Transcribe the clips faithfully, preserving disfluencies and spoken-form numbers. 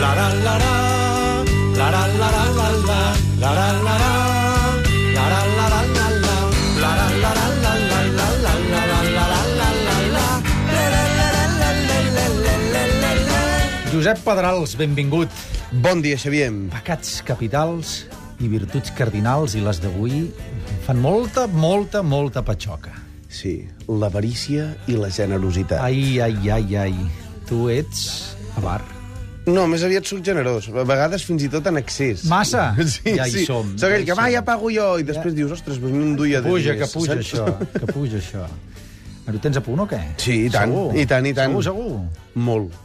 la la la la, la la la la la la, la la la la, la la la la la la, la la la la la la, la la la la la la la la. Josep Pedrals, benvingut. Bon dia, Xavier. Pecats capitals i virtuts cardinals, i les d'avui fan molta, molta, molta patxoca. Sí, l'avarícia i la generositat. Ai, ai, ai, ai. Tu ets avar. No, més aviat soc generós. A vegades fins i tot en excés. Massa? Sí, ja hi sí. som. Soc aquell ja que, va, ja pago jo, i després ja dius, ostres, pues no em duia de puja, diners. que puja, saps? Això, que puja, això. Però tens a punt o què? Sí, i tant, segur? i tant, i tant. Segur, segur? Molt.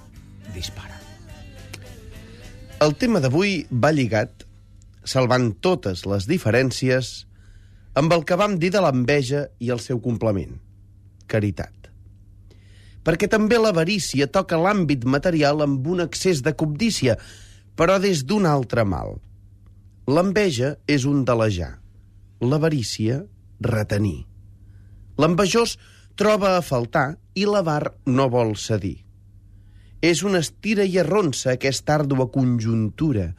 Dispara. El tema d'avui va lligat, salvant totes les diferències, amb el que vam dir de l'enveja i el seu complement, caritat. Perquè també l'avarícia toca l'àmbit material amb un excés de cobdícia, però des d'un altre mal. L'enveja és un delejar, l'avarícia, retenir. L'envejós troba a faltar i l'avar no vol cedir. És una estira i arronsa aquesta àrdua conjuntura,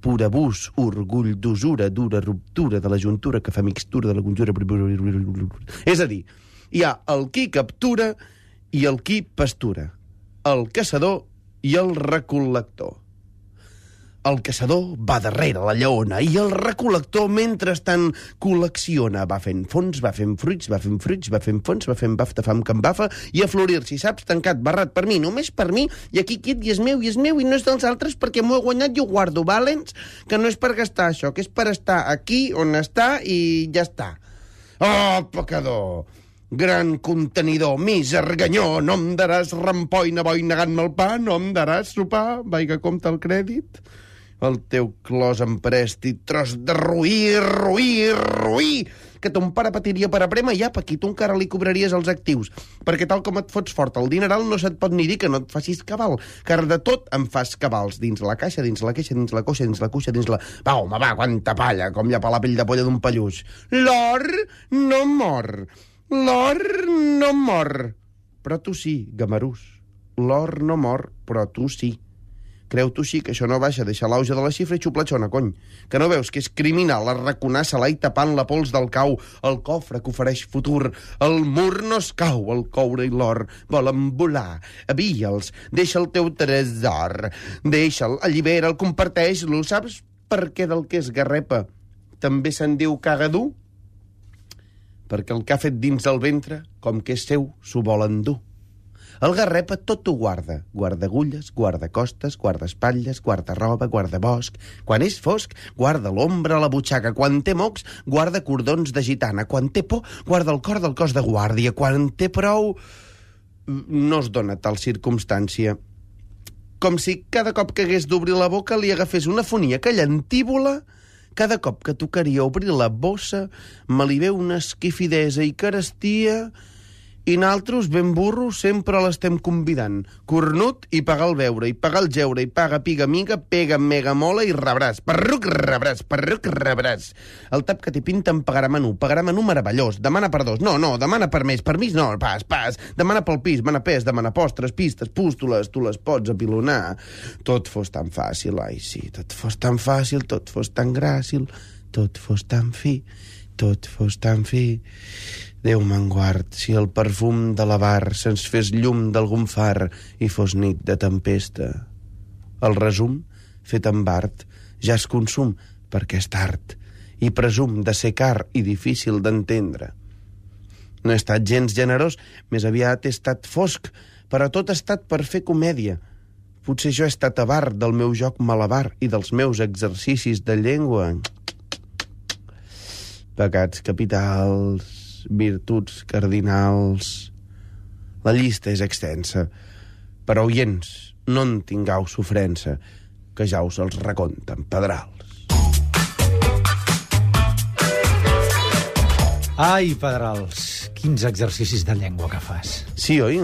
pur abús, orgull d'usura, dura ruptura de la juntura que fa mixtura de la conjura. És a dir, hi ha el qui captura i el qui pastura, el caçador i el recol·lector. El caçador va darrere la lleona i el recol·lector mentrestant col·lecciona. Va fent fons, va fent fruits, va fent fruits, va fent fons, va fent bafta, fam, que em bafa, i a florir, si saps, tancat, barrat per mi, només per mi, i aquí quiet, i és meu, i és meu, i no és dels altres perquè m'ho he guanyat i ho guardo, valents? Que no és per gastar això, que és per estar aquí on està i ja està. Oh, pecador! Gran contenidor, miserganyó, no em daràs rampoina, boi negant-me el pa, no em daràs sopar, vaiga compte el crèdit. El teu clos emprèstit, tros de roí, roí, roí, que ton pare patiria per aprema i apa, aquí tu encara li cobraries els actius, perquè tal com et fots fort el dineral no se't pot ni dir que no et facis cabal, car de tot em fas cabals, dins la caixa, dins la queixa, dins la coixa, dins la cuixa, dins la... Va, home, va, quanta palla, com llapar la pell de polla d'un pelluix. L'or no mor, l'or no mor, però tu sí, gamarús. L'or no mor, però tu sí. Creu tu sí que això no baixa, deixa l'auge de la xifra i xuplatxona, cony. Que no veus que és criminal arraconar se-la i tapant la pols del cau, el cofre que ofereix futur, el mur no es cau, el coure i l'or volen volar, avia'ls, deixa el teu tresor, deixa'l, allibera'l, comparteix-lo, saps per què del que és garrepa també se'n diu cagadú? Perquè el que ha fet dins el ventre, com que és seu, s'ho vol endur. El garrepa tot ho guarda. Guarda agulles, guarda costes, guarda espatlles, guarda roba, guarda bosc. Quan és fosc, guarda l'ombra a la butxaca. Quan té mocs, guarda cordons de gitana. Quan té por, guarda el cor del cos de guàrdia. Quan té prou, no es dona tal circumstància. Com si cada cop que hagués d'obrir la boca li agafés una fonia que llentívola. Cada cop que tocaria obrir la bossa, me li veu una esquifidesa i carestia... I naltros, ben burros, sempre l'estem convidant. Cornut i pagar el beure, i pagar el geure, i paga piga miga, pega mega mola i rebràs. Perruc rebràs, perruc rebràs. El tap que t'hi pinta em pagarà menú, pagarà menú meravellós, demana per dos, no, no, demana per més, per mig no, pas, pas, demana pel pis, mana pes, demana postres, pistes, pústoles, tu les pots apilonar. Tot fos tan fàcil, ai sí, tot fos tan fàcil, tot fos tan gràcil, tot fos tan fi, tot fos tan fi... Déu me'n guard, si el perfum de la bar se'ns fes llum d'algun far i fos nit de tempesta. El resum, fet amb art, ja es consum perquè és tard i presum de ser car i difícil d'entendre. No he estat gens generós, més aviat he estat fosc, però tot ha estat per fer comèdia. Potser jo he estat avar del meu joc malabar i dels meus exercicis de llengua. Pecats capitals... virtuts cardinals... La llista és extensa, però oients, no en tingueu sofrença, que ja us els reconten Pedrals. Ai, Pedrals, quins exercicis de llengua que fas. Sí, oi?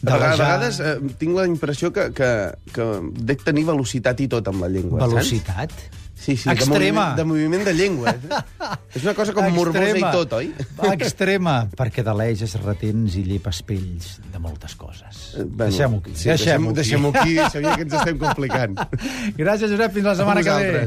De a vegades eh, tinc la impressió que, que, que dec tenir velocitat i tot amb la llengua. Velocitat? Saps? Sí, sí, de Extrema. moviment, de moviment de llengua. És una cosa com morbosa i tot, oi? Extrema, perquè deleixes retents i llepes pells de moltes coses. Bueno, Deixem-ho aquí. Sí, deixem-ho deixem aquí, sabia que ens estem complicant. Gràcies, Josep. Fins la setmana que ve.